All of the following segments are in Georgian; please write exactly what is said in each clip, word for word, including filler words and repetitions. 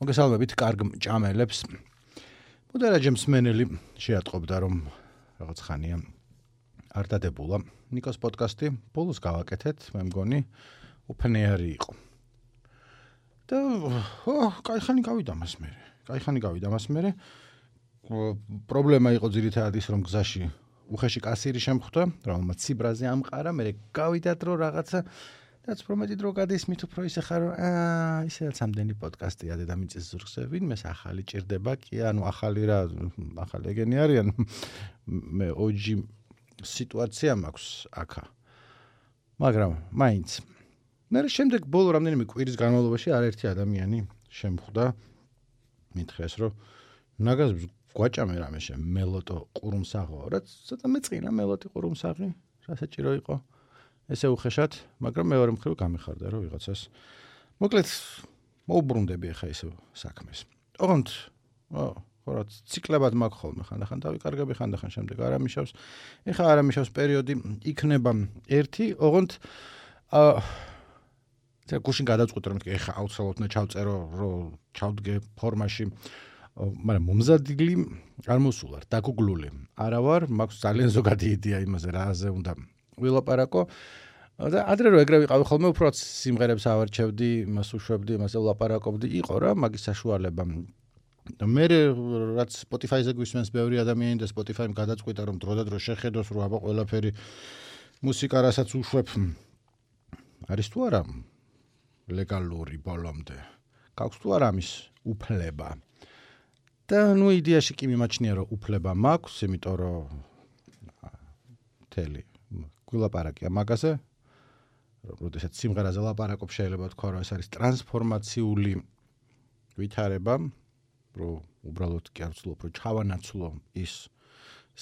მოგესალმებით კარგ ჭამელებს. მოდერაჯე მსმენელი შეატყობდა რომ რაღაც ხანია არ დადებულა ნიკოს პოდკასტი, ბოლოს გავაკეთეთ, მე მგონი უფნეარი იყო. და ო, კაი ხანი გავიდა მას მერე. კაი ხანი გავიდა მას მერე. პრობლემა იყო ძირითადად ის რომ გზაში უხეში კასირი შემხვდა, რომელმაც ციბრაზე ამყარა, მერე გავიდათ რომ რაღაცა რაც პრომეტი დრო გადის მით უფრო ისე ხარ აა ისედაც ამდენი პოდკასტია დედამიწის ზურგზე ვინმეს ახალი ჭირდება კი ანუ ახალი რა ახალი ეგენი არიან მე ოჯი სიტუაცია მაქვს აქა მაგრამ მაინც მე შემდეგ ბოლო რამდენიმე კვირის განმავლობაში არაერთი ადამიანი შემხვდა მითხეს რომ ნაგაზს გვაჭამე რამე შე მელოტო ყურუმსაღო რაც ცოტა მეწყინა მელოტი ყურუმსაღი რა საჭირო იყო ესე უხეშად, მაგრამ მეორე მხრივ გამიხარდა რომ ვიღაცას. მოკლედ მოუბრუნდები ახლა ისე საქმეს. ოღონდ, ო, ხორაც ციკლებად მაქვს ხოლმე ხანდახან დავიკარგები ხანდახან შემდეგ არამიშავს. ეხლა არამიშავს პერიოდი იქნება ერთი, ოღონდ აა ცა გუშინ გადავწყვიტე რომ ეხლა აუცილებლად უნდა ჩავწერო, რომ ჩავდგე ფორმაში. მაგრამ მომზადილი არ მოსულარ, დაგუგლული. არა ვარ, მაქვს ძალიან ზოგადი იდეა იმაზე რაზე უნდა ვილაპარაკო და ადრე რო ეგრე ვიყავი ხოლმე უფრო სიმღერებს ავარჩევდი, იმას უშვებდი, იმაზე ვლაპარაკობდი, იყო რა მაგის საშუალება. და მე რაც Spotify-ზე გვისმენს ბევრი ადამიანი და Spotify-მ გადაწყვიტა რომ დრო და დრო შეხედოს რომ აბა ყველაფერი მუსიკა რასაც უშვებ არის თუ არა ლეგალური ბოლომდე. გაქვს თუ არა ამის უფლება. და ნუ იდეაში კი მიმაჩნია რომ უფლება მაქვს, იმიტომ რომ თელი გულაპარაკია მაგაზე, როდესაც სიმღერაზე ლაპარაკობ შეიძლება თქვა რომ ეს არის ტრანსფორმაციული ვითარება, რომ უბრალოდ კი არ ვცდილობ რომ ჩავანაცვლო ის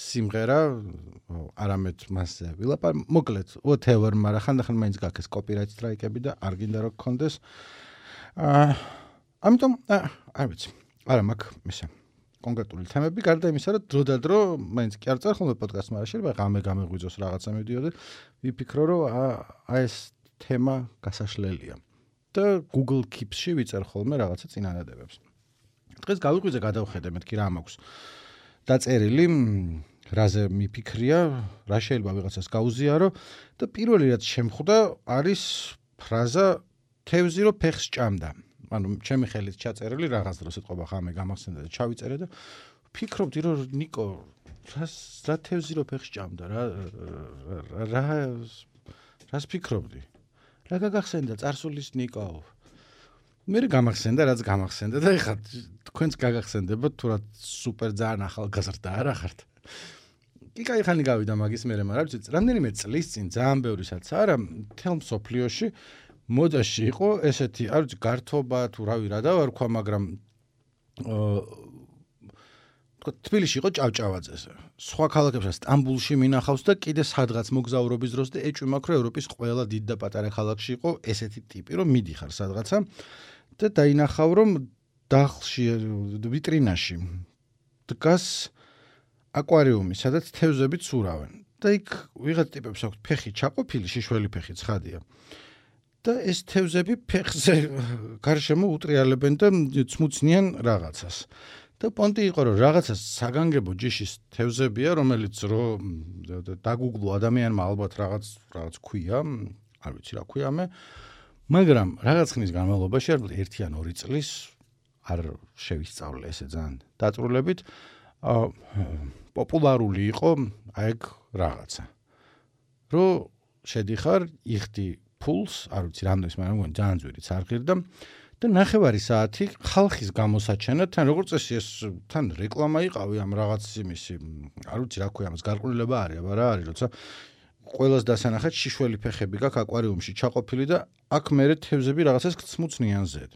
სიმღერა, არამედ მასზე ვილაპარაკო, მოკლედ, whatever, მაგრამ ხანდახან მაინც გაქვს კოპირაით სტრაიკები და არ გინდა რომ გქონდეს. აა ამიტომ არ ვიცი, არა მაქვს მისა კონკრეტული თემები გარდა იმისა, რომ დრო და დრო მაინც კი არ წარ ხოლმე პოდკასტს, მაგრამ შეიძლება ღამე გამეღვიძოს რაღაცა მივიდიო და ვიფიქრო, რომ აი ეს თემა გასაშლელია. და Google Keeps-ში ვიწერ ხოლმე რაღაცა წინადადებებს. დღეს გავიღვიძე გადავხედე მეთქი რა მაქვს დაწერილი, რაზე მიფიქრია, რა შეიძლება ვიღაცას გაუზიარო და პირველი რაც შემხვდა არის ფრაზა თევზი რო ფეხს ჭამდა. ანუ ჩემი ხელით ჩაწერილი რაღაც დროს ეთყობა ხამე გამახსენდა და ჩავიწერე და ვფიქრობდი რომ ნიკო რა თევზი რო ფეხს ჭამდა რა რა რას ფიქრობდი რა გაგახსენდა წარსულის ნიკო მე გამახსენდა რაც გამახსენდა და ეხლა თქვენც გაგახსენდება თუ რა სუპერ ძალიან ახალგაზრდა არა ხართ კი კაი ხანი გავიდა მაგის მერე მაგრამ ვიცი რამდენიმე წლის წინ ძალიან ბევრისაც არა თელ მსოფლიოში მოდაში იყო ესეთი არ ვიცი გართობა თუ რავი რა დავარქვა მაგრამ აა თქო თბილისში იყო ჭავჭავაძეზე სხვა ქალაქებსაც სტამბულში მინახავს და კიდე სადღაც მოგზაურობის დროს და ეჭვი მაქვს რომ ევროპის ყველა დიდ და პატარა ქალაქში იყო ესეთი ტიპი რომ მიდიხარ სადღაცა და დაინახავ რომ დახლში ვიტრინაში დგას აკვარიუმი სადაც თევზები ცურავენ და იქ ვიღაც ტიპებს აქვს ფეხი ჩაყოფილი შიშველი ფეხი ცხადია და ეს თევზები ფეხზე გარშემო უტრიალებენ და ცმუცნიან რაღაცას. და პონტი იყო რომ რაღაცას საგანგებო ჯიშის თევზებია, რომელიც რო დაგუგლო ადამიანმა ალბათ რაღაც რაღაც ქვია, არ ვიცი რა ქვია მე, მაგრამ რაღაც ხნის განმავლობაში არ ერთი ან ორი წლის არ შევისწავლე ესე ძალიან დაწვრილებით, პოპულარული იყო აი ეგ რაღაცა. რო შედიხარ, იხდი ფულს, არ ვიცი რამდენს, მაგრამ მგონი ძალიან ძვირიც არ ღირდა და ნახევარი საათი ხალხის გამოსაჩენად, თან როგორც წესი ეს თან რეკლამა იყავი ამ რაღაც იმისი, არ ვიცი რა ქვია, ამას გარყვნილება არის, აბა რა არის, როცა ყველას დასანახეთ შიშველი ფეხები გაქვს აკვარიუმში ჩაყოფილი და აქ მერე თევზები რაღაცას გწმუცნიან ზედ.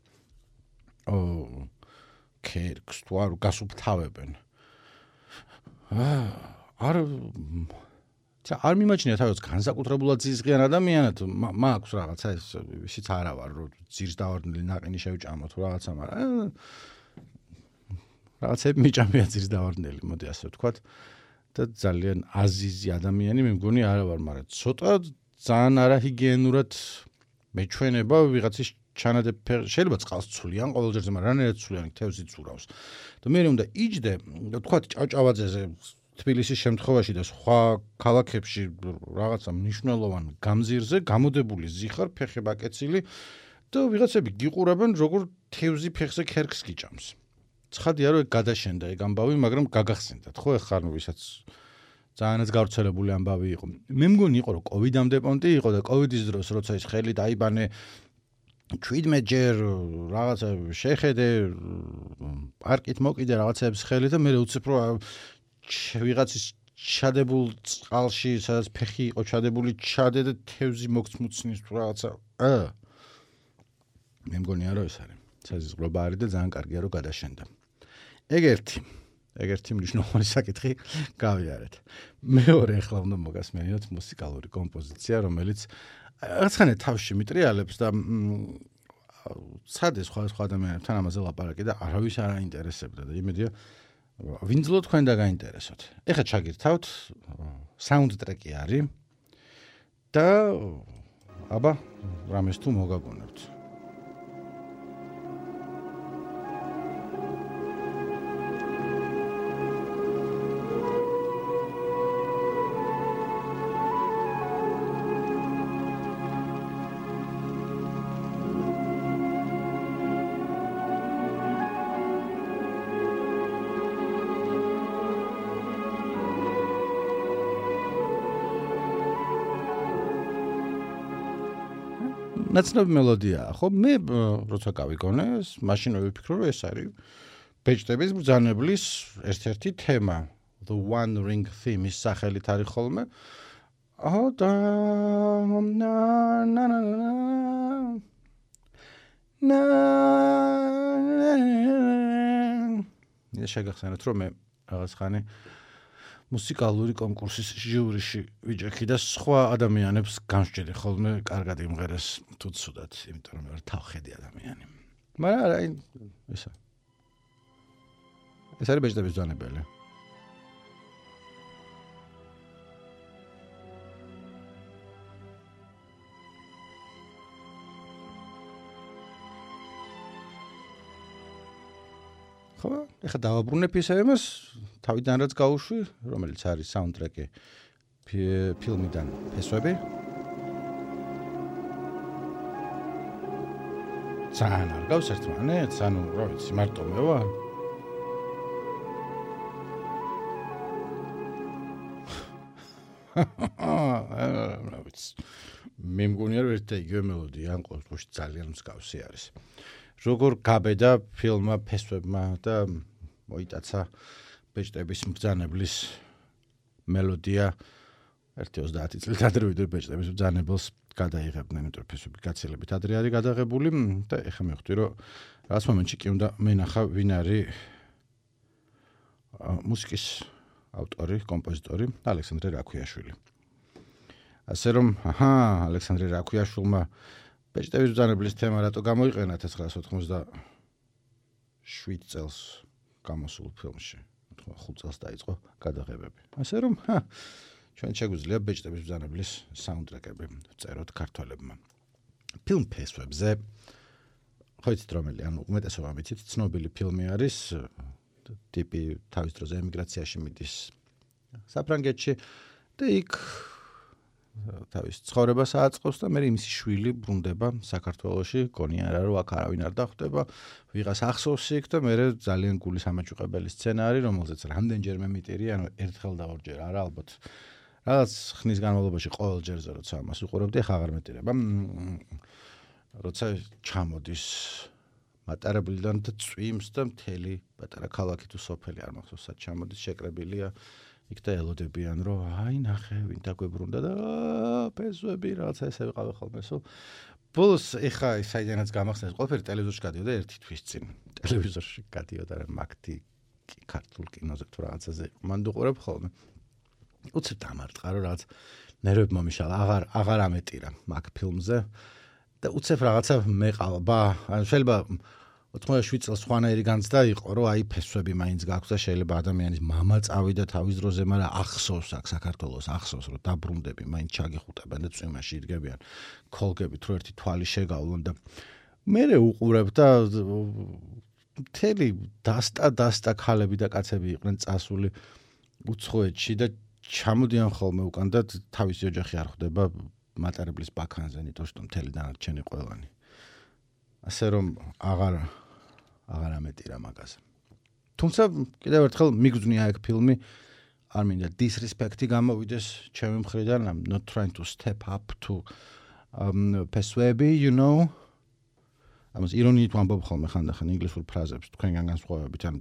ო კერკს თუ არ გასუფთავებენ. აა არ არ მიმაჩნია თავის განსაკუთრებულად ზიზღიან ადამიანად მაქვს რაღაცა ეს ისიც არა ვარ რომ ძირს დავარდნილი ნაყინი შევჭამო თუ რაღაცა მაგრამ რაღაცები მიჭამია ძირს დავარდნილი მოდი ასე ვთქვათ და ძალიან აზიზი ადამიანი მე მგონი არა ვარ მაგრამ ცოტა ძალიან არაჰიგიენურად მეჩვენება ვიღაცის ჩანადებ შეიძლება წყალს ცვლიან ყოველჯერზე, მაგრამ რანაირად ცვლიან თევზი ცურავს. და მე უნდა იჯდე, თქვა ჭავჭავაძეზე თბილისის შემთხვევაში და სხვა ქალაქებში რაღაცა მნიშვნელოვან გამზირზე გამოდებული ზიხარ, ფეხება კეცილი და ვიღაცები გიყურებენ, როგორ თევზი ფეხზე ქერქს გიჭამს. ცხადია რომ ეგ გადაშენდა ეგ ამბავი, მაგრამ გაგახსენდათ, ხო ეხლა ნუ ვისაც ძალიანაც გავრცელებული ამბავი იყო. მე მგონი იყო რომ კოვიდამდე პონტი იყო და კოვიდის დროს როცა ის ხელი დაიბანე ჩვიდმეტ ჯერ რაღაცა შეხედე პარკით მოკიდე რაღაცების ხელი და მე უცებ რომ ვიღაცის ჩადებულ წყალში, სადაც ფეხი იყო ჩადებული, ჩადე და თევზი მოგცმუცნის რაღაცა. ა მე მგონია რომ ეს არის საზღვრობა არის და ძალიან კარგია რომ გადაშენდა. ეგ ერთი ეგ ერთი მნიშვნელოვანი საკითხი გავიარეთ. მეორე ახლა უნდა მოგასმენინოთ მუსიკალური კომპოზიცია, რომელიც რაღაცხანე თავში მიტრიალებს და სადეს სხვა სხვა ადამიანებთან ამაზე ლაპარაკი და არავის არ აინტერესებდა და იმედია ვინძლო თქვენ და გაინტერესოთ. ეხლა ჩაგირთავთ საუნდტრეკი არის და აბა რამეს თუ მოგაგონებთ. ნაცნობი მელოდიაა, ხო? მე როცა გავიგონე, მაშინ ვიფიქრო, რომ ეს არის ბეჭდების ბრძანებლის ერთ-ერთი თემა. The One Ring Theme ის სახელით არის ხოლმე. აჰა და ნა ნა ნა ნა ნა შეგახსენოთ, რომ მე რაღაც ხანი მუსიკალური კონკურსის ჟიურიში ვიჯექი და სხვა ადამიანებს განსჯერე ხოლმე კარგად იმღერეს თუ ცუდად, იმიტომ რომ მე ვარ თავხედი ადამიანი. მაგრამ არა, ისა. ეს არის ბეჭდების ბრძანებელი. ხო, ეხლა დავაბრუნებ ისე იმას, თავიდან რაც გავუშვი, რომელიც არის საუნდტრეკი ფილმიდან ფესვები. ძალიან არ გავს ერთმანეთს, ანუ რა ვიცი, მარტო მე ვარ. რა ვიცი. მე მგონია რომ ერთ და იგივე მელოდია ან ყოველ შემთხვევაში ძალიან მსგავსი არის. როგორ გაბედა ფილმმა ფესვებმა და მოიტაცა ბეჭდების მბრძანებლის მელოდია ერთი ოცდაათი წლით ადრე ვიდრე ბეჭდების მბრძანებელს გადაიღებდნენ, იმიტომ რომ ფესვები გაცილებით ადრე არის გადაღებული და ეხლა მივხვდი რომ რაღაც მომენტში კი უნდა მენახა ვინ არის მუსიკის ავტორი, კომპოზიტორი ალექსანდრე რაქვიაშვილი. ასე რომ, აჰა, ალექსანდრე რაქვიაშვილმა ბეჭდების ბრძანებლის თემა რატო გამოიყენა ათას ცხრაასი ოთხმოცდაშვიდ წელს გამოსულ ფილმში. ხუთ წელს დაიწყო გადაღებები. ასე რომ, ჩვენ შეგვიძლია ბეჭდების ბრძანებლის საუნდტრეკები ვწეროთ ქართველებმა. ფილმ ფესვებზე ხო იცით რომელი, ანუ უმეტესობა მითით ცნობილი ფილმი არის, ტიპი თავის დროზე ემიგრაციაში მიდის საფრანგეთში და იქ თავის ცხოვრებას აწყობს და მე იმისი შვილი ბრუნდება საქართველოში, გონია რა რომ აქ არავინ არ დახვდება, ვიღას ახსოვს იქ და მე ძალიან გულის ამაჭუყებელი სცენა არის, რომელზეც რამდენჯერმე მიტირი, ანუ ერთხელ და ორჯერ არა ალბათ. რაღაც ხნის განმავლობაში ყოველ ჯერზე როცა ამას უყურებდი, ახლა აღარ მეტირება. როცა ჩამოდის მატარებლიდან და წვიმს და მთელი პატარა ქალაქი თუ სოფელი არ მახსოვს სად ჩამოდის, შეკრებილია იქ და ელოდებიან რომ აი ნახე ვინ დაგვებრუნდა და ფესვები რაღაცა ესე ვიყავი ხოლმე სულ ბოლოს ეხა საიდანაც გამახსენეს ყველაფერი ტელევიზორში გადიოდა ერთი თვის წინ ტელევიზორში გადიოდა რა მაგთი ქართულ კინოზე თუ რაღაცაზე მან დუყურებ ხოლმე უცებ დამარტყა რომ რაღაც ნერვები მომიშალა აღარ აღარ ამეტირა მაგ ფილმზე და უცებ რაღაცა მეყალბა ან შეიძლება ოცდაშვიდ წელს სხვანაირი განცდა იყო, რომ აი ფესვები მაინც გაქვს და შეიძლება ადამიანის მამა წავიდა თავის დროზე, მაგრამ ახსოვს აქ საქართველოს, ახსოვს რომ დაბრუნდები, მაინც ჩაგიხუტებენ და წვიმაში იდგებიან, ქოლგებით, რომ ერთი თვალი შეგავლონ და მე უყურებ და მთელი დასტა დასტა ქალები და კაცები იყვნენ წასული უცხოეთში და ჩამოდიან ხოლმე უკან და თავისი ოჯახი არ ხვდება მატარებლის ბაქანზე, იმიტომ რომ მთელი დანარჩენი ყველანი. ასე რომ აღარ აღარ ამეტირა მაგაზე. თუმცა კიდევ ერთხელ მიგძვნია ეგ ფილმი, არ მინდა disrespect-ი გამოვიდეს ჩემი მხრიდან, I'm not trying to step up to um persuade, you know. ამას ირონიით ვამბობ ხოლმე ხანდახან ინგლისურ ფრაზებს თქვენგან განსხვავებით, ან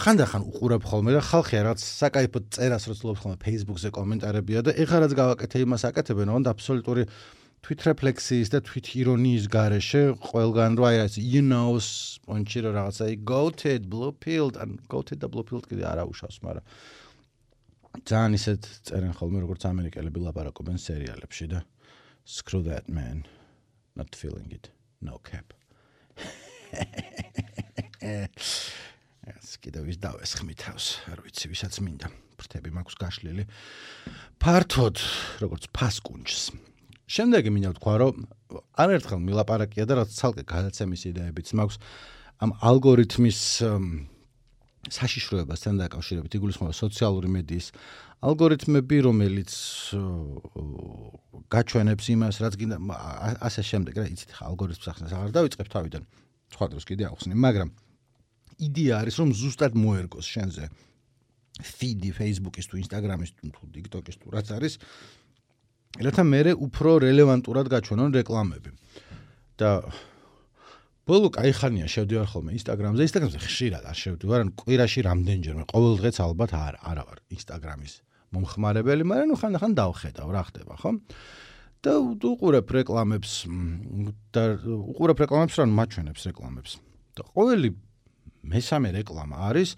ხანდახან უყურებ ხოლმე და ხალხი რაღაც საკაიფო წერას როცლობს ხოლმე Facebook-ზე კომენტარებია და ეხლა რაც გავაკეთე იმას აკეთებენ, ოღონდ აბსოლუტური თვითრეფლექსიის და თვითირონიის გარეშე ყველგან რო აი you know პონჩი რო რაღაცა goated, blue pilled and goated და blue pilled კიდე არ აუშავს, მაგრამ ძალიან ისეთ წერენ ხოლმე როგორც ამერიკელები ლაპარაკობენ სერიალებში და screw that man, not feeling it, no cap. ეს კიდევ ის დავესხმი თავს, არ ვიცი ვისაც მინდა. ფრთები მაქვს გაშლილი. ფართოდ როგორც ფასკუნჯს. შემდეგი მინდა ვთქვა, რომ არერთხელ მილაპარაკია და რაც ცალკე გადაცემის იდეებიც მაქვს ამ ალგორითმის საშიშროებასთან დაკავშირებით, იგულისხმება სოციალური მედიის ალგორითმები, რომელიც გაჩვენებს იმას, რაც გინდა ასე შემდეგ, რა იცით, ალგორითმს ახსნას აღარ დავიწყებ თავიდან. სხვა დროს კიდე ახსნი, მაგრამ იდეა არის, რომ ზუსტად მოერგოს შენზე feed-ი Facebook-ის თუ Instagram-ის თუ TikTok-ის თუ რაც არის, რათა მერე უფრო რელევანტურად გაჩვენონ რეკლამები. და ბოლო კაი ხანია შევდივარ ხოლმე Instagram-ზე, Instagram-ზე ხშირად არ შევდივარ, ან კვირაში რამდენჯერმე, ყოველ დღეც ალბათ არ არა ვარ Instagram-ის მომხმარებელი, მაგრამ ნუ ხანდახან დავხედავ, რა ხდება, ხო? და უყურებ რეკლამებს და უყურებ რეკლამებს, რა მაჩვენებს რეკლამებს. და ყოველი მესამე რეკლამა არის,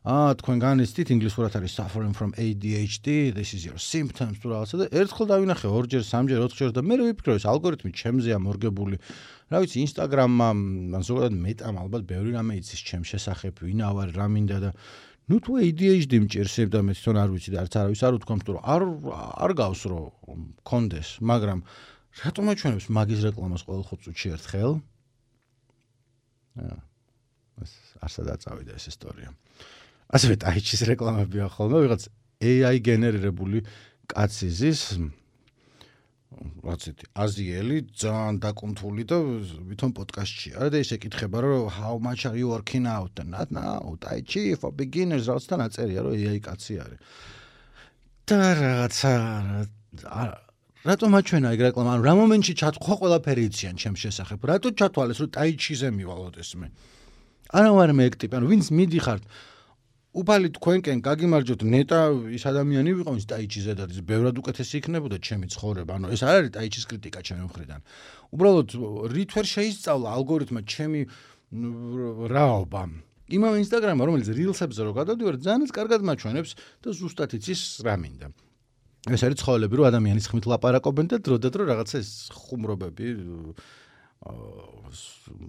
აა თქვენ განიცდით ინგლისურად არის suffering from A D H D, this is your symptoms თუ რაღაცა და ერთხელ დავინახე ორჯერ, სამჯერ, ოთხჯერ და მე ვიფიქრე, ეს ალგორითმი ჩემზეა მორგებული. რა ვიცი, Instagram-მა, ან ზოგადად მეტამ ალბათ ბევრი რამე იცის ჩემ შესახებ, ვინა ვარ, რა მინდა და ნუ თუ A D H D მჭირს და მე თვითონ არ ვიცი და არც არავის არ უთქვამს, რომ არ არ გავს რომ კონდეს, მაგრამ რატომ აჩვენებს მაგის რეკლამას ყოველ ხუთ წუთში ერთხელ? აა ეს არსადაც წავიდა ეს ისტორია. ასევე ტაიჩის რეკლამებია ხოლმე, ვიღაც A I გენერირებული კაცი ზის, რაც ეთი აზიელი, ძალიან დაკუნთული და ვითომ პოდკასტშია და ისე ეკითხება, რომ how much are you working out? Not now, Tai Chi for beginners, რაღაცთან აწერია, რომ A I კაცი არის. და რაღაცა რატომ აჩვენა ეგ რეკლამა? ანუ რა მომენტში ჩათქვა ყველაფერი იციან ჩემს შესახებ? რატო ჩათვალეს, რომ Tai Chi-ზე მივალოდეს მე? არა ვარ მე ეგ ტიპი, ანუ ვინც მიდიხართ უფალი თქვენკენ გაგიმარჯოთ, ნეტა ის ადამიანი ვიყო, ის Tai Chi-ზე და ის ბევრად უკეთესი იქნებოდა ჩემი ცხოვრება. ანუ ეს არ არის Tai Chi-ის კრიტიკა ჩემი მხრიდან. უბრალოდ რით ვერ შეისწავლა ალგორითმმა ჩემი რაობა. იმავე Instagram-მა, რომელიც Reels-ებზე რო გადავდივარ, ძალიან კარგად მაჩვენებს და ზუსტად იცის რა მინდა. ეს არის ცხოველები, რომ ადამიანის ხმით ლაპარაკობენ და დრო და დრო რაღაცა ეს ხუმრობები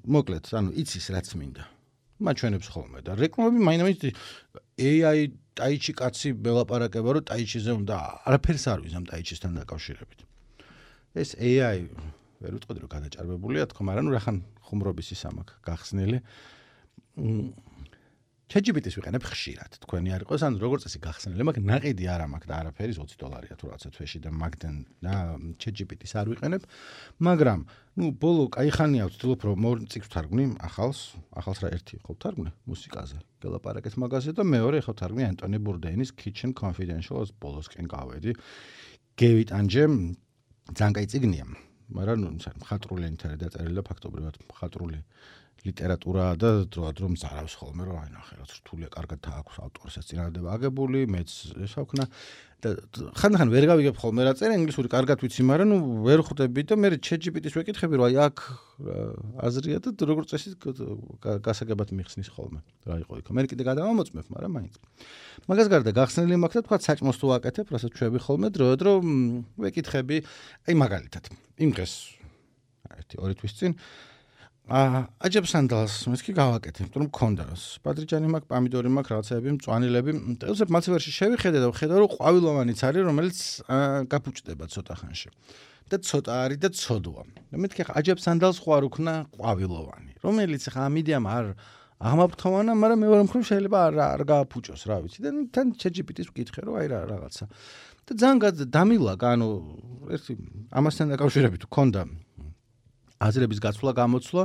მოკლედ, ანუ იცის რაც მინდა. მაჩვენებს ხოლმე და რეკლამები მაინც A I Tai Chi კაცი ველაპარაკება, რომ Tai Chi-ზე უნდა არაფერს არ ვიცი ამ Tai Chi-სთან დაკავშირებით. ეს A I ვერ ვიტყოდი რომ გადაჭარბებულია თქო, მაგრამ ნუ რახან ხუმრობის ის ამაქვს გახსნილი. ChatGPT-ს ვიყენებ ხშირად, თქვენი არ იყოს, ან როგორც წესი გახსნილი, მაგრამ ნაყიდი არ მაქვს და არაფერი ოცი დოლარია თუ რაღაცა თვეში და მაგდენ და ChatGPT-ს არ ვიყენებ, მაგრამ ნუ ბოლო კაი ხანია ვცდილობ რომ მორ წიგნს ვთარგმნი ახალს, ახალს რა ერთი ხო ვთარგმნი მუსიკაზე. გელაპარაკეთ მაგაზე და მეორე ხო ვთარგმნი Anthony Bourdain-ის Kitchen Confidential-ს ბოლოსკენ გავედი. გევიტანჯე ძალიან კაი წიგნია, მაგრამ ნუ მხატვრული ენითაა დაწერილი და ფაქტობრივად მხატვრული ლიტერატურაა და დროდადრო მზარავს ხოლმე რომ აი ნახე რა რთულია, კარგად აქვს ავტორსაც წინადადება აგებული, მეც ესავქნა და ხანდახან ვერ გავიგებ ხოლმე რა წერა ინგლისური კარგად ვიცი, მაგრამ ნუ ვერ ხვდები და მე ChatGPT-ს ვეკითხები რომ აი აქ აზრია და როგორც წესი გასაგებად მიხსნის ხოლმე რა იყო იქ. მე კიდე გადავამოწმებ, მაგრამ მაინც. მაგას გარდა გახსნილი მაქვს და თქვა საჭმოს თუ ვაკეთებ, რასაც ჩვევი ხოლმე დროდადრო ვეკითხები, აი მაგალითად იმ დღეს ერთი ორი თვის წინ აა აჯებს სანდალს მეთქი გავაკეთე, თუ მქონდა. პატრიჯანი მაქვს, პომიდორი მაქვს, რაღაცები, მწვანილები. ელზე მალცივერში შევიხედე და ვხედავ, რომ ყვავილოვანიც არის, რომელიც გაფუჭდება ცოტა ხანში. და ცოტა არის და ცოდვა. და მეთქი ხა აჯებს სანდალს ხო არ უქნა ყვავილოვანი, რომელიც ხა ამიდიამ არ აღმაფრთოვანა, მაგრამ მეორე მხრივ შეიძლება არ არ გააფუჭოს, რა ვიცი. და თან ChatGPT-ს ვკითხე, რომ აი რა რაღაცა. და ძალიან დამილაგა, ანუ ერთი ამასთან დაკავშირებით ვქონდა აზრების გაცვლა გამოცვლა,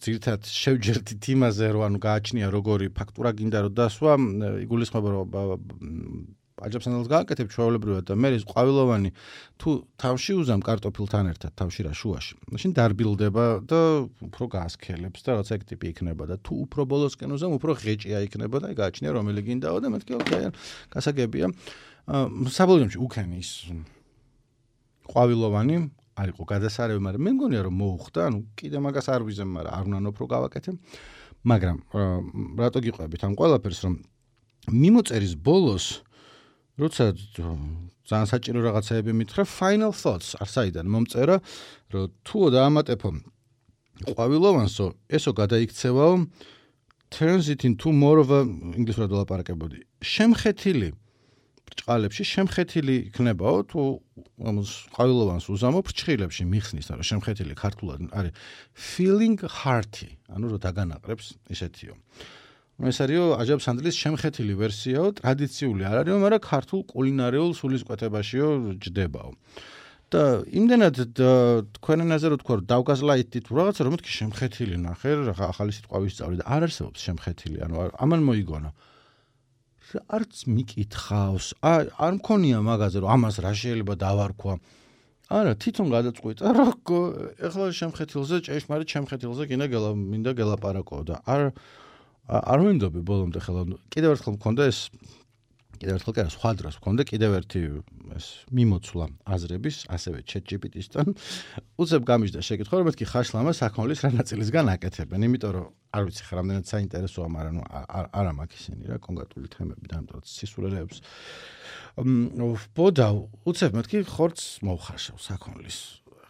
ძირთად შევჯერდით იმაზე, რომ ანუ გააჩნია როგორი ფაქტურა გინდა რომ დასვა, იგულისხმება რომ აჯებს სანდალს გააკეთებ ჩვეულებრივად და მე ის ყვავილოვანი თუ თავში უზამ კარტოფილთან ერთად თავში რა შუაში. მაშინ დარბილდება და უფრო გაასქელებს და რაღაცა ეგ ტიპი იქნება და თუ უფრო ბოლოსკენ უზამ უფრო ღეჭია იქნება და გააჩნია რომელი გინდაო და მეთქი ოკეი, გასაგებია. საბოლოოში უკენი ის ყვავილოვანი არ იყო გადასარევი, მაგრამ მე მგონია რომ მოუხდა, ანუ კიდე მაგას არ ვიზემ, მაგრამ არ უნდა უფრო გავაკეთე. მაგრამ რატო გიყვებით ამ ყველაფერს, რომ მიმოწერის ბოლოს როცა ძალიან საჭირო რაღაცეები მითხრა, final thoughts არსაიდან მომწერა, რომ თუო დაამატებო ყვავილოვანსო, ესო გადაიქცევაო turns it into more of a ინგლისურად ვლაპარაკებოდი. შემხეთილი ბრჭყალებში შემხეთილი იქნებაო, თუ ამას ყვავილოვანს უზამო ბრჭყილებში მიხსნის, რომ შემხეთილი ქართულად არის feeling hearty, ანუ რომ დაგანაყრებს ისეთიო. ეს არისო აჯებს სანდლის შემხეთილი ვერსიაო, ტრადიციული არ არისო, მაგრამ ქართულ კულინარიულ სულისკვეთებაშიო ჯდებაო. და იმდენად თქვენ ენაზე რო თქვა, რომ დავგაზლაიტით რაღაცა, რომ მეთქი შემხეთილი ნახე, რა ახალი სიტყვა ვისწავლე და არ არსებობს შემხეთილი, ანუ ამან მოიგონა. არც მიკითხავს, არ მქონია მაგაზე, რომ ამას რა შეიძლება დავარქვა. არა, თვითონ გადაწყვიტა, რომ ეხლა შემხეთილზე, ჭეშმარიტ შემხეთილზე გინდა გელა მინდა გელაპარაკო და არ არ ვინდობი ბოლომდე ხელა. კიდევ ერთხელ მქონდა ეს კიდევ ერთხელ კი არა, სხვა დროს მქონდა კიდევ ერთი ეს მიმოცვლა აზრების, ასევე ChatGPT-სთან. უცებ გამიჯდა შეკითხვა, რომ მეთქი ხაშლამა საქონლის რა ნაწილისგან აკეთებენ, იმიტომ რომ არ ვიცი ხა რამდენად საინტერესოა, მაგრამ ნუ არა მაქვს ისინი რა კონკრეტული თემები და ამიტომ სისულელეებს. ვბოდა, უცებ მეთქი ხორცს მოვხარშავ საქონლის.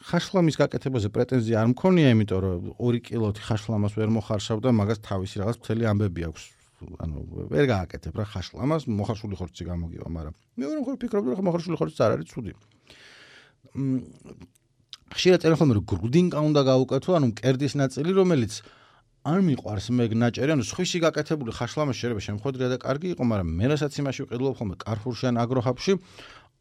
ხაშლამის გაკეთებაზე პრეტენზია არ მქონია, იმიტომ რომ ორი კილოთი ხაშლამას ვერ მოხარშავ და მაგას თავისი რაღაც მთელი ამბები აქვს. ანუ ვერ გააკეთებ რა ხაშლამას, მოხარშული ხორცი გამოგივა, მაგრამ მეორე მხრივ ვფიქრობდი, რომ მოხარშული ხორცი არ არის ცუდი. ხშირად წერენ ხოლმე, რომ გრუდინკა უნდა გაუკეთო, ანუ მკერდის ნაწილი, რომელიც არ მიყვარს მე ნაჭერი, ანუ სხვისი გაკეთებული ხაშლამა შეიძლება შემხვედრია და კარგი იყო, მაგრამ მე რასაც იმაში ვყიდულობ ხოლმე კარფურში ან აგროჰაბში,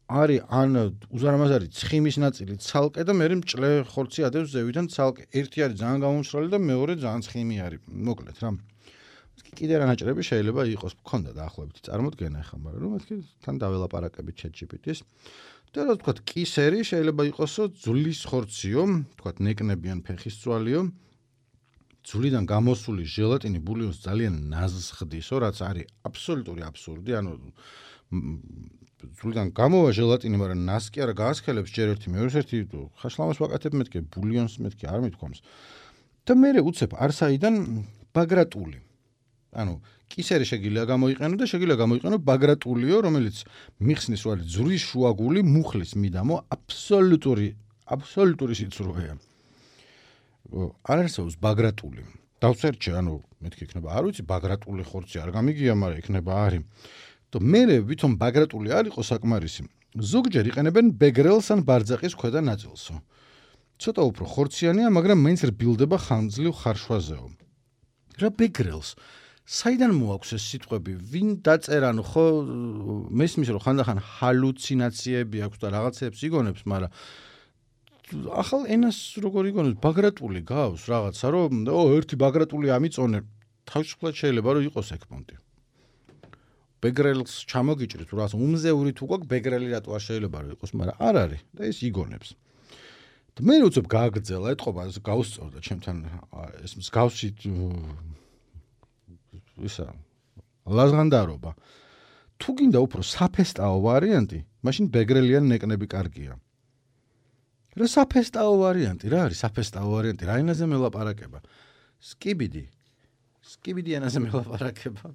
არის ან უზარმაზარი ცხიმის ნაწილი ცალკე და მე მჭლე ხორცი ადევს ზევიდან ცალკე. ერთი არის ძალიან გამომშრალი და მეორე ძალიან ცხიმი არის. მოკლედ რა. კიდე რა ნაჭრები შეიძლება იყოს, მქონდა დაახლოებით წარმოდგენა ახლა, მაგრამ რომ მეთქი თან დაველაპარაკებით ChatGPT-ს. და რა ვთქვათ, კისერი შეიძლება იყოსო ძვლის ხორციო, ვთქვათ ნეკნებიან ფეხის წვალიო. ძვლიდან გამოსული ჟელატინი ბულიონს ძალიან ნაზს ხდისო, რაც არის აბსოლუტური აბსურდი, ანუ ძვლიდან გამოვა ჟელატინი, მაგრამ ნაზს კი არა გაასქელებს ჯერ ერთი, მეორე ერთი ხაშლამას ვაკეთებ მეთქი ბულიონს მეთქი არ მithქვამს. და მე უცებ არსაიდან ბაგრატული. ანუ კისერი შეგიძლია გამოიყენო და შეგიძლია გამოიყენო ბაგრატულიო, რომელიც მიხსნის რომ არის ძვლის შუაგული მუხლის მიდამო აბსოლუტური აბსოლუტური სიცრუეა. არ არსებობს ბაგრატული. დავწერჩე, ანუ მეთქი იქნება, არ ვიცი, ბაგრატული ხორცი არ გამიგია, მაგრამ იქნება არის. და მე ვითომ ბაგრატული არ იყო საკმარისი. ზოგჯერ იყენებენ ბეგრელს ან ბარძაყის ქვედა ნაწილსო. ცოტა უფრო ხორციანია, მაგრამ მაინც რბილდება ხანძლივ ხარშვაზეო. რა ბეგრელს? საიდან მოაქვს ეს სიტყვები? ვინ დაწერა, ნუ ხო მესმის რომ ხანდახან ჰალუცინაციები აქვს და რაღაცეებს იგონებს, მაგრამ ახალ ენას როგორ იგონებს? ბაგრატული გავს რაღაცა, რომ ო ერთი ბაგრატული ამიწონე, თავისუფლად შეიძლება რომ იყოს ეგ პონტი. ბეგრელს ჩამოგიჭრით, რაღაც უმზეური თუ გვაქვს ბეგრელი რატო არ შეიძლება რომ იყოს, მაგრამ არ არის და ეს იგონებს. და მე უცებ გააგრძელა, ეთყობა გავსწორდა ჩემთან ეს მსგავსი ისა ლაზღანდარობა. თუ გინდა უფრო საფესტაო ვარიანტი, მაშინ ბეგრელიან ნეკნები კარგია. რა საფესტაო ვარიანტი, რა არის საფესტაო ვარიანტი? რა ენაზე მელაპარაკება? სკიბიდი. სკიბიდი ენაზე მელაპარაკება.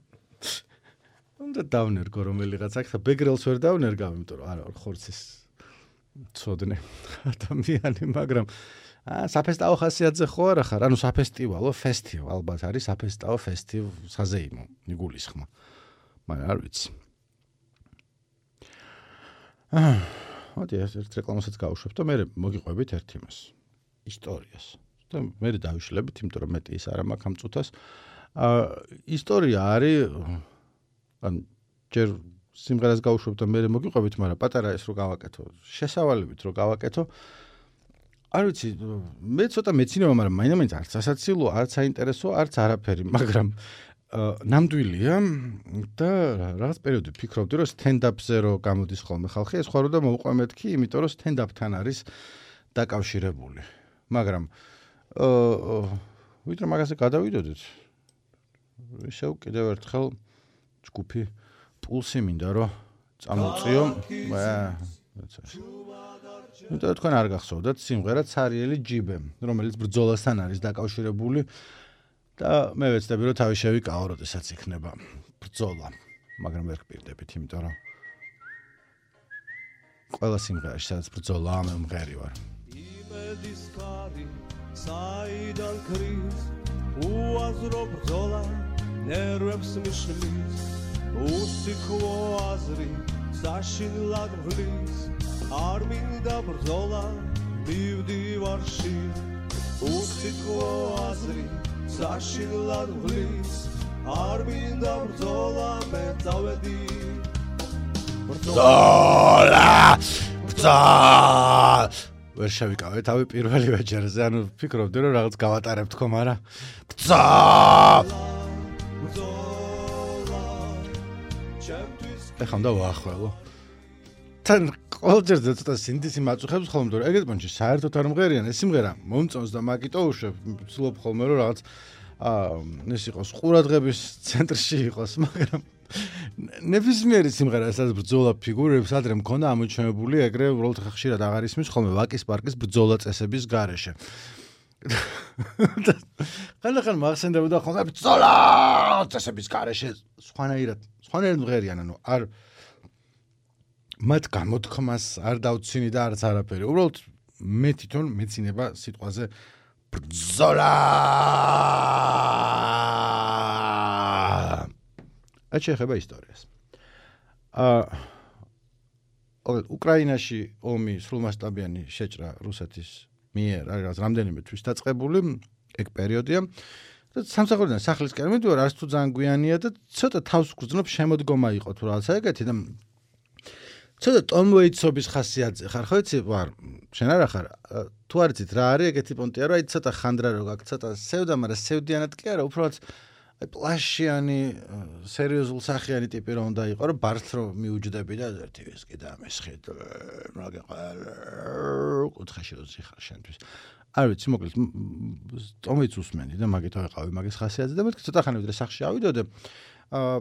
უნდა დავნერგო რომელიღაც აქ და ბეგრელს ვერ დავნერგავ, იმიტომ რომ არა ხორცის ცოდნე ადამიანი, მაგრამ აა საფესტაო ხასიათზე ხო არა ხარ? ანუ საფესტივალო ფესტივალ ალბათ არის საფესტაო ფესტივ საზეიმო იგულისხმა. მაგრამ არ ვიცი. აა მოდი ერთ რეკლამასაც გავუშვებ და მე მოგიყვებით ერთ იმას. ისტორიას. და მე დავიშლებით, იმიტომ რომ მეტი ის არა მაქვს ამ წუთას. აა ისტორია არის ან ჯერ სიმღერას გავუშვებ და მე მოგიყვებით, მაგრამ პატარა ეს რო გავაკეთო, შესავალებით რო გავაკეთო. არ ვიცი, მე ცოტა მეცინებო, მაგრამ მაინდა-მაინც არც ასაცილო, არც საინტერესო, არც არაფერი, მაგრამ ნამდვილია და რაღაც პერიოდი ფიქრობდი, რომ stand-up-ზე რო გამოდის ხოლმე ხალხი, ეს ხوارო და მოუყვე მეთქი, იმიტომ რომ stand-up-თან არის დაკავშირებული. მაგრამ აა ვიდრე მაგაზე გადავიდოდეთ. ისევ კიდევ ერთხელ ჯგუფი პულსი მინდა რომ წამოწიო. და თქვენ არ გახსოვდათ სიმღერა ცარიელი ჯიბე, რომელიც ბრძოლასთან არის დაკავშირებული და მე ვეცდები რომ თავი შევიკავო, როდესაც იქნება ბრძოლა, მაგრამ ვერ გპირდებით, იმიტომ რომ ყველა სიმღერაში სადაც ბრძოლაა, მე მღერი ვარ. იმედის ხარი საიდან ქრის უაზრო ბრძოლა ნერვებს მიშლის უსიქო აზრი საშინლად ღვლის არ მინდა ბრძოლა მივდივარში უსიქო აზრი საშინლად ღვლის არ მინდა ბრძოლა მე წავედი ბრძოლა ბრძოლა ვერ შევიკავე თავი პირველი ვეჯერზე, ანუ ფიქრობდი რომ რაღაც გავატარებთ ხო, მაგრამ ბრძოლა ეხლა უნდა ვაახველო. თან ყოველჯერზე ცოტა სინდისი მაწუხებს ხოლმე, რომ ეგეთ პონჩი საერთოდ არ მღერიან, ეს სიმღერა მომწონს და მაგიტო უშვებ, ვცდილობ ხოლმე რომ რაღაც აა ეს იყოს ყურადღების ცენტრში იყოს, მაგრამ ნებისმიერი სიმღერა, სადაც ბრძოლა ფიგურებს ადრე მქონდა ამოჩენებული, ეგრე უბრალოდ ხშირად აღარ ისმის ხოლმე ვაკის პარკის ბრძოლა წესების გარეშე. ხანდახან მახსენდებოდა ხოლმე ბრძოლა წესების გარეშე, სხვანაირად, სხვანაირად მღერიან, ანუ არ მათ გამოთქმას არ დავცინი და არც არაფერი. უბრალოდ მე თვითონ მეცინება სიტყვაზე ბრძოლა. რაც შეეხება ისტორიას. აა უკრაინაში ომი სრულმასშტაბიანი შეჭრა რუსეთის მიერ არის რამდენიმე თვის დაწყებული, ეგ პერიოდია. და სამსახურიდან სახლისკენ მიდივარ, არც თუ ძალიან გვიანია და ცოტა თავს გძნობ შემოდგომა იყო თუ რაღაცა ეგეთი და ცოტა ტომ ვეიტსობის ხასიათზე ხარ, ხო იცი, ვარ, შენ არა ხარ, თუ არ იცით რა არის ეგეთი პონტია, რომ აი ცოტა ხანდრა რო გაქვს, ცოტა სევდა, მაგრამ სევდიანად კი არა, უბრალოდ აი პლაშიანი, სერიოზულ სახიანი ტიპი რომ უნდა იყო, რომ ბართ რო მიუჯდები და ერთი ვისკი და მესხი მაგეყარ კუთხეში უძიხარ შენთვის. არ ვიცი, მოკლედ ტომიც უსმენდი და მაგით ვიყავი მაგის ხასიათზე და მეთქი ცოტა ხანი ვიდრე სახლში ავიდოდე. აა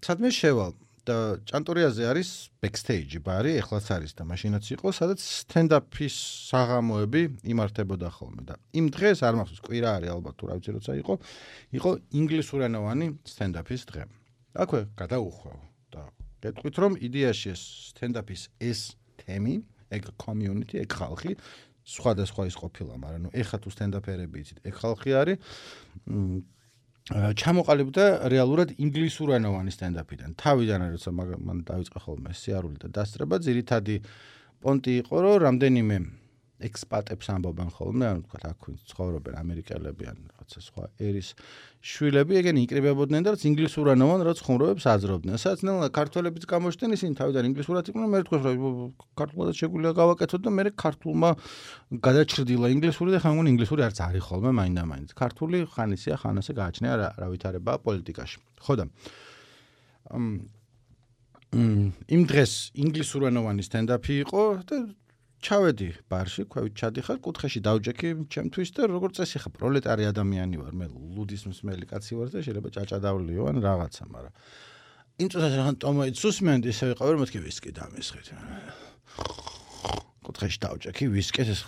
სადმე შევალ და ჭანტურიაზე არის ბექსტეიჯი ბარი, ეხლაც არის და მაშინაც იყო, სადაც სტენდაპის საღამოები იმართებოდა ხოლმე და იმ დღეს არ მახსოვს, კვირა არის ალბათ თუ რა ვიცი როცა იყო, იყო ინგლისურენოვანი სტენდაპის დღე. აქვე გადაუხვევ და გეტყვით რომ იდეაში ეს სტენდაპის ეს თემი, ეგ community, ეგ ხალხი სხვადასხვა ის ყოფილა, მაგრამ ნუ ეხა თუ სტენდაპერები იცით, ეგ ხალხი არის ჩამოყალიბდა რეალურად ინგლისურენოვანი სტენდაპიდან. თავიდან როცა მან დაიწყო ხოლმე სიარული და დასწრება, ძირითადი პონტი იყო, რომ რამდენიმე ექსპატებს ამბობენ ხოლმე, ანუ თქვა აქ ცხოვრობენ ამერიკელები ან რაღაცა სხვა ერის შვილები, ეგენი იკრიბებოდნენ და რაც ინგლისურენოვან რაც ხუმრობებს აძრობდნენ. სადაც ნელა ქართველებიც გამოჩნდნენ, ისინი თავიდან ინგლისურად იყვნენ, მე თქვა რომ ქართულად შეგვიძლია გავაკეთოთ და მე ქართულმა გადაჭრილა ინგლისური და ხან ინგლისური არც არის ხოლმე მაინდა-მაინც. ქართული ხანისია, ხანასე გააჩნია რა ვითარებაა პოლიტიკაში. ხო და იმ დღეს ინგლისურენოვანი სტენდაპი იყო და ჩავედი ბარში, ქვევით ჩადიხარ, კუთხეში დავჯექი ჩემთვის და როგორც წესი ხა პროლეტარი ადამიანი ვარ, მე ლუდის მსმელი კაცი ვარ და შეიძლება ჭაჭადავლიო ან რაღაცა, მაგრამ იმ წუთას რახან ტომოიც უსმენდი, ისე ვიყავი რომ მეთქი ვისკი დამესხეთ. კუთხეში დავჯექი ვისკი ეს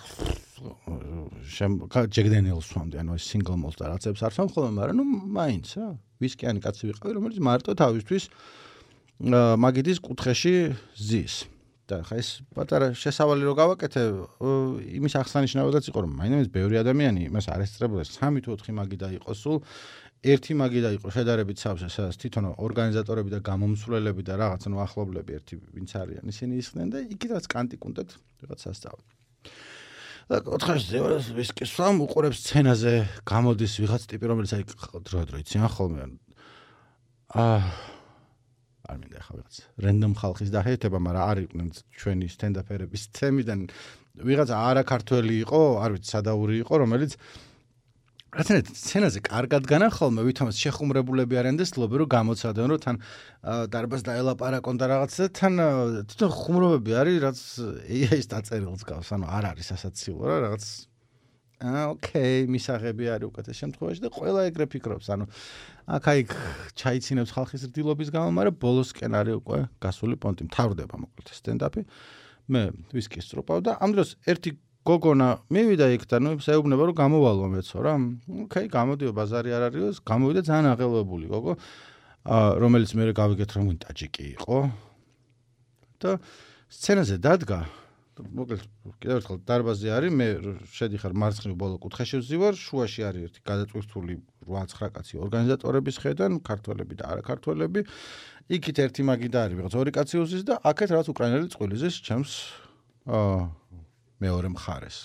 ჯეგდენილს ვამდი, ანუ ეს სინგლ მოლტ და რაღაცებს არ სამ ხოლმე, მაგრამ ნუ მაინც რა, ვისკიანი კაცი ვიყავი, რომელიც მარტო თავისთვის მაგიდის კუთხეში ზის. და ხა ეს პატარა შესავალი რო გავაკეთე, იმის აღსანიშნავადაც იყო, რომ მაინც ბევრი ადამიანი იმას არ ესწრებოდა სამი თუ ოთხი მაგი დაიყო სულ, ერთი მაგი დაიყო შედარებით სავსე, სადაც თვითონ ორგანიზატორები და გამომსვლელები და რაღაც ნუ ახლობლები ერთი ვინც არიან, ისინი ისხდნენ და იქითაც კანტიკუნდად რაღაც სასწავლო. და ოთხაშზე ვისკი სამ უყურებს სცენაზე გამოდის ვიღაც ტიპი, რომელიც აი დრო-დრო იციან ხოლმე. აა არ მინდა ხა ვიღაც რენდომ ხალხის დაჰეთება, მაგრამ არ იყვნენ ჩვენი სტენდაპერების თემიდან ვიღაც არაქართველი იყო, არ ვიცი სადაური იყო, რომელიც რადგან სცენაზე კარგად განახოლმე, ვითომაც შეხუმრებულები არიან და ცდილობენ რომ გამოცადონ, რომ თან დარბაზს დაელაპარაკონ და რაღაც და თან თვითონ ხუმრობები არის, რაც ეი აის დაწერილს გავს, ანუ არ არის ასაცილო რა რაღაც აა ოკეი, მისაღები არის უკეთეს შემთხვევაში და ყველა ეგრე ფიქრობს, ანუ აქ-აიქ ჩაიცინებს ხალხის რდილობის გამო, მაგრამ ბოლოსკენ არის უკვე გასული პონტი, მთავრდება მოკლედ სტენდაპი. მე ვისკის წრუპავ და ამ დროს ერთი გოგონა მივიდა იქ და ნუ შეეუბნება რომ გამოვალო მეცო რა. ოკეი, გამოდიო, ბაზარი არ არისო, გამოვიდა ძალიან აღელვებული გოგო, რომელიც მე გავიგეთ რომ ტაჯიკი იყო. და სცენაზე დადგა. მოკლედ კიდევ ერთხელ დარბაზი არის, მე შედიხარ მარცხნივ ბოლო კუთხეში ვზივარ, შუაში არის ერთი გადაწყვეტილი რვა ცხრა კაცი ორგანიზატორების ხედან, ქართველები და არაქართველები. იქით ერთი მაგი და არის ვიღაც ორი კაცი უზის და აქეთ რაღაც უკრაინელი წყვილიზეს ჩემს აა მეორე მხარეს.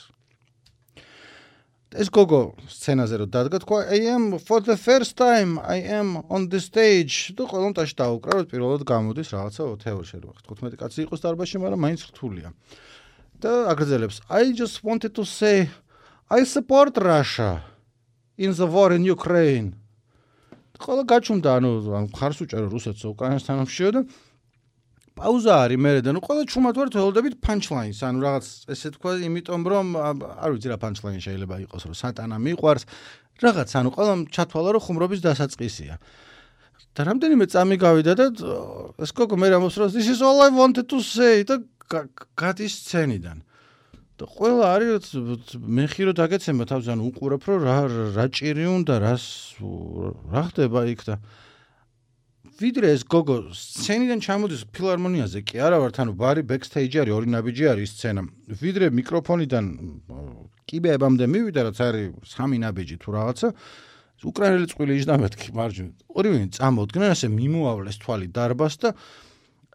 ეს გოგო სცენაზე რო დადგა, თქვა I am for the first time I am on the stage. და ყველა მტაში დაუკრა, რომ პირველად გამოდის რაღაცა თეორიაში რო თხუთმეტი კაცი იყოს დარბაზში, მაგრამ მაინც რთულია. და აგრძელებს I just wanted to say I support Russia in the war in Ukraine. ყველა გაჩუმდა, ანუ მხარს უჭერო რუსეთს უკრაინასთან ომშიო და პაუზა არის მერე და ნუ ყველა ჩუმად ვართ ველოდებით punch-lines, ანუ რაღაც ესე თქვა, იმიტომ რომ არ ვიცი რა punch-line შეიძლება იყოს, რომ სატანა მიყვარს, რაღაც, ანუ ყველა ჩათვალა რომ ხუმრობის დასაწყისია. და რამდენიმე წამი გავიდა და ეს გოგო მე ამბობს რომ this is all I wanted to say და გადის სცენიდან. და ყველა არის მე ხირო დაგეცემა თავს, ანუ უყურებ რომ რა რა ჭირი უნდა, რას რა ხდება იქ და ვიდრე ეს გოგო სცენიდან ჩამოდის ფილარმონიაზე კი არა ვართ, ანუ ბარი ბექსტეიჯი არის, ორი ნაბიჯი არის სცენა. ვიდრე მიკროფონიდან კიბეებამდე მივიდა, რაც არის სამი ნაბიჯი თუ რაღაცა, უკრაინელი წყვილი იჯდა მეთქი მარჯვნივ. ორივე წამოდგნენ, ასე მიმოავლეს თვალი დარბაზს და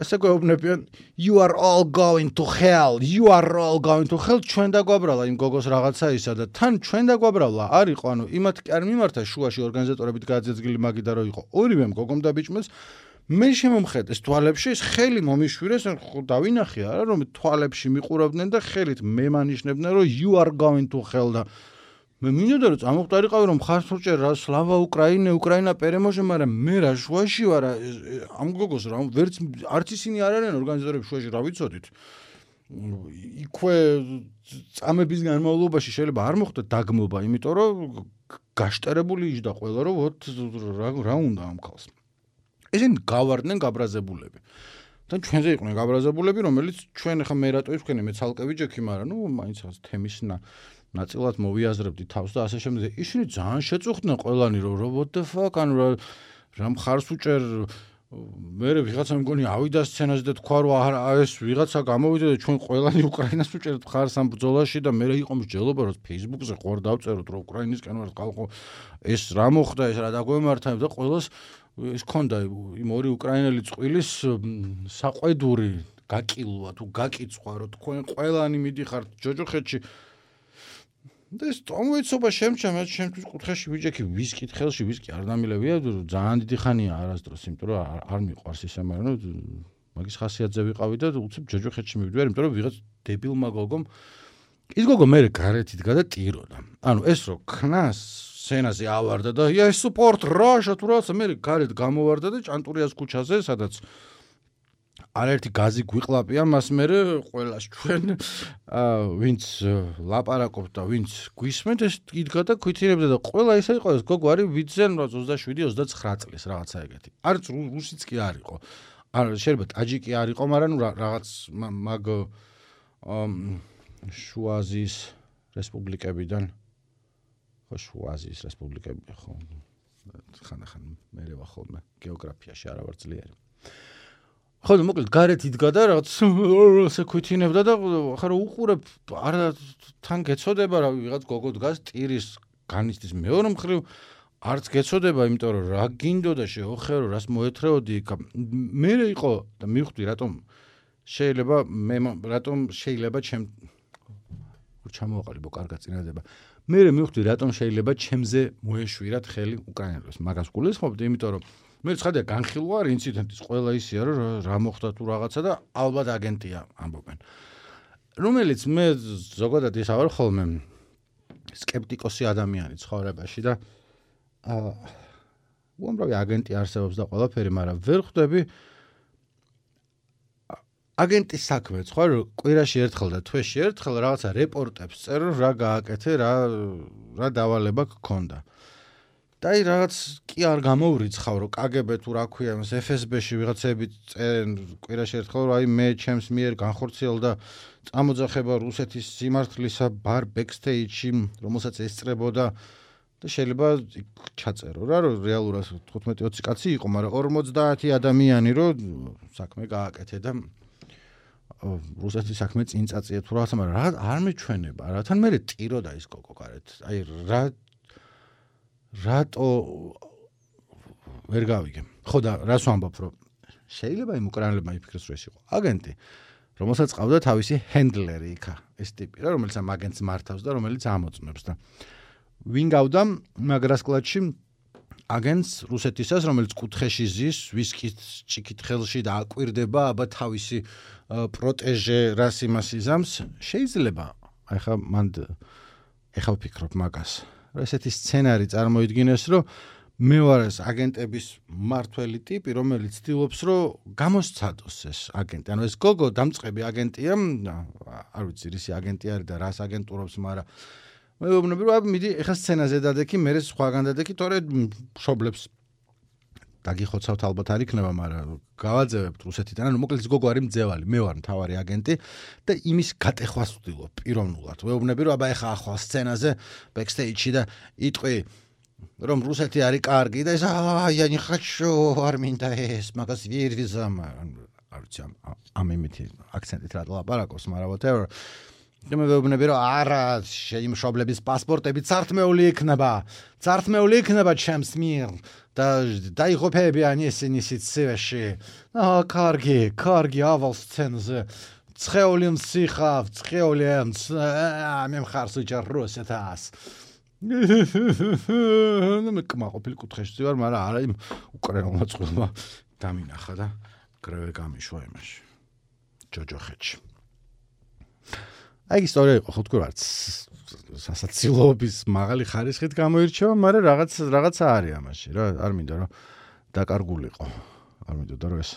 ასე გვეუბნებიან you are all going to hell, you are all going to hell. ჩვენ დაგვაბრალა იმ გოგოს რაღაცა ისა და თან ჩვენ დაგვაბრალა არ იყო, ანუ იმათ კი არ მიმართა შუაში ორგანიზატორებით გაძეძგილი მაგი და რო იყო ორივემ გოგომ დაბიჭმეს. მე შემომხედეს თვალებში, ეს ხელი მომიშვირეს, დავინახე არა რომ თვალებში მიყურავდნენ და ხელით მე მანიშნებდნენ რომ you are going to hell და მე მინდოდა რომ წამოვყარიყავი რომ ხარს უჭერ რა სლავა უკრაინე, უკრაინა პერემოჟე, მაგრამ მე რა შუაში ვარ ამ გოგოს რა ვერც არც ისინი არ არიან ორგანიზატორები შუაში რა ვიცოდით. იქვე წამების განმავლობაში შეიძლება არ მოხდა დაგმობა, იმიტომ რომ გაშტერებული იჯდა ყველა რომ ვოთ რა რა უნდა ამ ხალხს. ესენი გავარდნენ გაბრაზებულები. და ჩვენზე იყვნენ გაბრაზებულები, რომელიც ჩვენ ახლა მე რატო ვიქნე მე ცალკე ვიჯექი, მაგრამ ნუ მაინც თემის ნაწილად მოვიაზრებდი თავს და ასე შემდეგ. ისინი ძალიან შეწუხდნენ ყველანი რომ what the fuck, ანუ რა რა მხარს უჭერ. მე ვიღაცა მგონი ავიდა სცენაზე და თქვა რომ ეს ვიღაცა გამოვიდა და ჩვენ ყველანი უკრაინას უჭერთ მხარს ამ ბრძოლაში და მე იყო მსჯელობა რომ Facebook-ზე ხوار დავწეროთ რომ უკრაინისკენ ვარ ხალხო ეს რა მოხდა, ეს რა დაგვემართა და ყველას ეს ქონდა იმ ორი უკრაინელი წყვილის საყვედური გაკილვა თუ გაკიცხვა რომ თქვენ ყველანი მიდიხართ ჯოჯოხეთში. და ეს ტომოიცობა შემჩა, მე შემთხვევით კუთხეში ვიჯექი ვისკი ხელში, ვისკი არ დამილევია, ძალიან დიდი ხანია არასდროს, იმიტომ რომ არ მიყვარს ისე, მაგრამ მაგის ხასიათზე ვიყავი და უცებ ჯოჯოხეთში მივდივარ, იმიტომ რომ ვიღაც დებილმა გოგომ ის გოგო მე გარეთ იდგა და ტიროდა. ანუ ეს რო ქნას სცენაზე ავარდა და I support Russia თუ რაღაცა მე გარეთ გამოვარდა და ჭანტურიას ქუჩაზე, სადაც არაერთი გაზი გვიყლაპია მას მერე ყველას ჩვენ ვინც ლაპარაკობთ და ვინც გვისმენთ ეს იდგა და ქვითირებდა და ყველა ისე იყო, ეს გოგო არის ვიძენ ოცდაშვიდი ოცდაცხრა წლის რაღაცა ეგეთი. არც რუსიც კი არ იყო. არ შეიძლება ტაჯიკი არ იყო, მაგრამ რაღაც მაგ შუა აზიის რესპუბლიკებიდან ხო შუა აზიის რესპუბლიკები ხო ხანდახან მერე ვახოლმე გეოგრაფიაში არა ვარ ძლიერი. ხო და მოკლედ გარეთ იდგა და რაღაც ასე ქვითინებდა და ხა რა უყურებ არა თან გეცოდება რა ვიღაც გოგო დგას ტირის განიცდის მეორე მხრივ არც გეცოდება იმიტომ რომ რა გინდოდა შეოხერო რას მოეთრეოდი მე იყო და მივხვდი რატომ შეიძლება მე რატომ შეიძლება ჩემ ჩამოვაყალიბო კარგად წინადება მე მივხვდი რატომ შეიძლება ჩემზე მოეშვირათ ხელი უკრაინელებს მაგას გულისხმობდი იმიტომ რომ მე ცხადია განხილვა არ ინციდენტის ყველა ისია რომ რა მოხდა თუ რაღაცა და ალბათ აგენტია ამბობენ რომელიც მე ზოგადად ის ავარ ხოლმე სკეპტიკოსი ადამიანი ცხოვრებაში და აა უამრავი აგენტი არსებობს და ყველაფერი მაგრამ ვერ ხვდები აგენტის საქმეც ხო რომ კვირაში ერთხელ და თვეში ერთხელ რაღაცა რეპორტებს წერო რა გააკეთე რა რა დავალება გქონდა და აი რაღაც კი არ გამოვრიცხავ რომ კაგებე თუ რა ქვია ეს ეფ ეს ბე-ში ვიღაცები წერენ კვირაში ერთხელ რომ აი მე ჩემს მიერ განხორციელდა წამოძახება რუსეთის სიმართლისა ბარ ბექსტეიჯში რომელსაც ესწრებოდა და შეიძლება ჩაწერო რა რომ რეალურად თხუთმეტი ოცი კაცი იყო მაგრამ ორმოცდაათი ადამიანი რომ საქმე გააკეთე და რუსეთის საქმე წინ წაწია თუ რაღაცა მაგრამ რა არ მეჩვენება რათან მე ტიროდა ის გოგო გარეთ აი რა რატო ვერ გავიგე ხო და რას ვამბობ რომ შეიძლება იმ უკრაინელებმა იფიქრეს რომ ეს იყო აგენტი რომელსაც ყავდა თავისი ჰენდლერი იქა ეს ტიპი რა რომელიც ამ აგენტს მართავს და რომელიც ამოწმებს და ვინ გავდა მაგრას კლატში აგენტს რუსეთისას რომელიც კუთხეში ზის ვისკით ჭიქით ხელში და აკვირდება აბა თავისი პროტეჟე რას იმას იზამს შეიძლება აი ხა მან ეხა ვფიქრობ მაგას რა ესეთი სცენარი წარმოიდგინეს რომ მე ვარ ეს აგენტების მართველი ტიპი რომელიც ცდილობს რომ გამოსცადოს ეს აგენტი ანუ ეს გოგო დამწყები აგენტია არ ვიცი რისი აგენტი არის და რას აგენტურობს მაგრამ მე ვუბნები რომ მიდი ეხა სცენაზე დადექი მე სხვაგან დადექი თორე მშობლებს დაგიხოცავთ ალბათ არ იქნება მაგრამ გავაძევებთ რუსეთიდან ანუ მოკლედ გოგო არის მძევალი მე ვარ მთავარი აგენტი და იმის გატეხვას ვცდილობ პიროვნულად ვეუბნები რომ აბა ეხა ახლა სცენაზე ბექსტეიჯში და იტყვი რომ რუსეთი არის კარგი და ეს აი я не хочу არ მინდა ეს მაგას ვერ ვიზამ არ ვიცი ამ იმითი აქცენტით რა ლაპარაკობს მაგრამ whatever და მე ვეუბნები რომ არა იმ მშობლების პასპორტები წართმეული იქნება წართმეული იქნება ჩემს მიერ და დაიღუპებიან ისინი სიცივეში აა კარგი კარგი ავალ სცენაზე ცხეული მსიხავ ცხეული მე მხარს უჭერ რუსეთას ნუ მე კმაყოფილი კუთხეში ვარ მაგრამ არა იმ უკრაინულმა წყვილმა დამინახა და გრევე გამიშვა იმაში ჯოჯოხეთში აი ისტორია იყო ხო თქვი რაც სასაცილოების მაღალი ხარისხით გამოირჩევა, მაგრამ რაღაც რაღაცა არის ამაში რა, არ მინდა რომ დაკარგულიყო. არ მინდოდა რომ ეს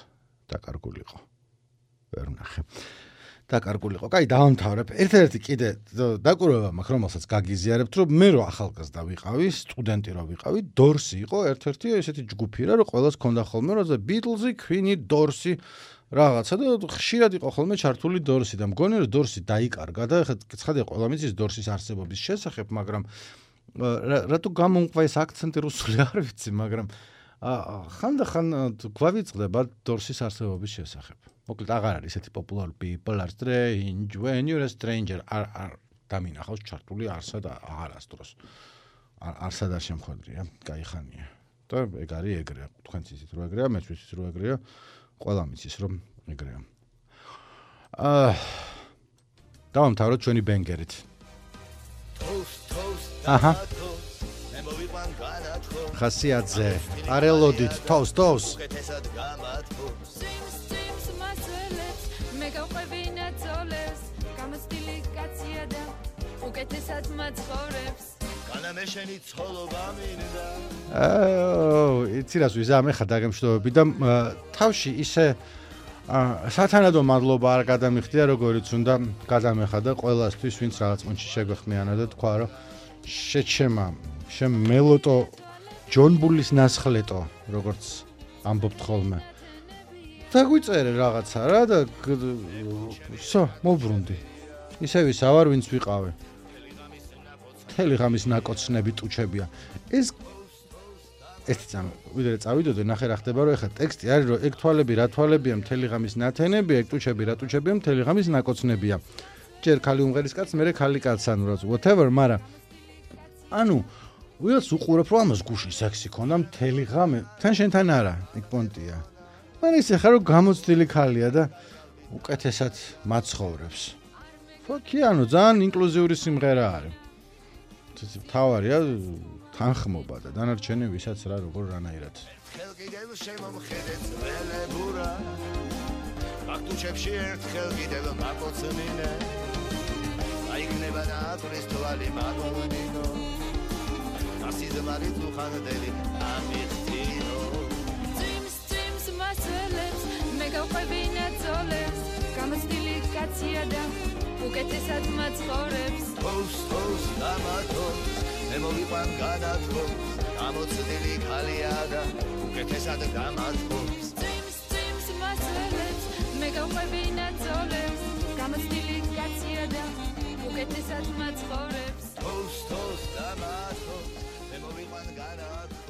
დაკარგულიყო. ვერ ვნახე. დაკარგულიყო. კაი, დავამთავრებ. ერთ-ერთი კიდე დაკვირვება მაქვს, რომელსაც გაგიზიარებთ, რომ მე რო ახალგაზრდა ვიყავი, სტუდენტი რო ვიყავი, დორსი იყო ერთ-ერთი ესეთი ჯგუფი რა, რომ ყველას ქონდა ხოლმე, რომ ბიტლზი, ქვინი, დორსი რაღაცა და ხშირად იყო ხოლმე ჩართული დორსი და მგონი რომ დორსი დაიკარგა და ცხადია ყველა მიცის დორსის არსებობის შესახებ, მაგრამ რატო გამომყვა ეს აქცენტი რუსული არ ვიცი, მაგრამ ხანდახან გვავიწყდება დორსის არსებობის შესახებ. მოკლედ აღარ არის ესეთი პოპულარული people are strange when you're a stranger არ არ დამინახავს ჩართული არსა და აღარასდროს. არსა და შემხვედრია, გაიხანია. და ეგ არის ეგრეა, თქვენც ისიც რო ეგრეა, მეც ისიც რო ეგრეა. ყველა მიცის რომ ეგრეა. აა დავამთავროთ ჩვენი ბენგერით. აჰა. ხასიათზე. არელოდით თავს თავს. მე გავყვებინა ძოლებს, გამოსტილი კაცია და უკეთესად მაცხოვრებს. განამეშენი ცოლობა მინდა. აო, იცი რას ვიზამე ხა დაგემშვიდობები და თავში ისე სათანადო მადლობა არ გადამიხდია როგორიც უნდა გადამეხა და ყველასთვის ვინც რაღაც მომენტში შეგვეხმიანა და თქვა რომ შეჩემა შენ მელოტო ჯონბულის ნასხლეტო როგორც ამბობთ ხოლმე დაგვიწერე რაღაცა რა და სო მოbrunდი ისე ისა ვარ ვინც ვიყავე მთელი ღამის ნაკოცნები ტუჩებია ეს ეს წამ ვიდრე წავიდოდე ნახე რა ხდება რომ ეხლა ტექსტი არის რომ ეგ თვალები რა თვალებია მთელი ღამის ნათენებია ეგ ტუჩები რა ტუჩებია მთელი ღამის ნაკოცნებია ჯერ ხალი უმღერის კაცს მერე ხალი კაცს ანუ რა whatever მაგრამ ანუ ვიღაც უყურებ რომ ამას გუში სექსი ქონდა მთელი ღამე თან შენთან არა ეგ პონტია მაგრამ ისე ხარ რომ გამოცდილი ხალია და უკეთესად მაცხოვრებს ფოქი ანუ ძალიან ინკლუზიური სიმღერა არის თავარია თანხმობა და დანარჩენი ვისაც რა როგორ რანაირად ხელკიდევ შემომხედეთ ველებურა აქტუჩებში ერთხელ კიდევ მაკოცნინე აიქნება ნატრის თვალი მაგონინო ასიზმარი თუხანდელი ამიხტინო Dreams, dreams, მასელებს მე გავყვებინა ძოლებს გამოცდილი კაცია და უკეთესად მაცხოვრებს Post, post, დამათობს მე მოვიყვან განათხოვს გამოცდილი ხალია და უკეთესად გამათხოვს Dreams, dreams, მასელებს მე გავყვებინა ძოლებს გამოცდილი კაცია და უკეთესად მაცხოვრებს Post, post, დამათობს მე მოვიყვან განათხოვს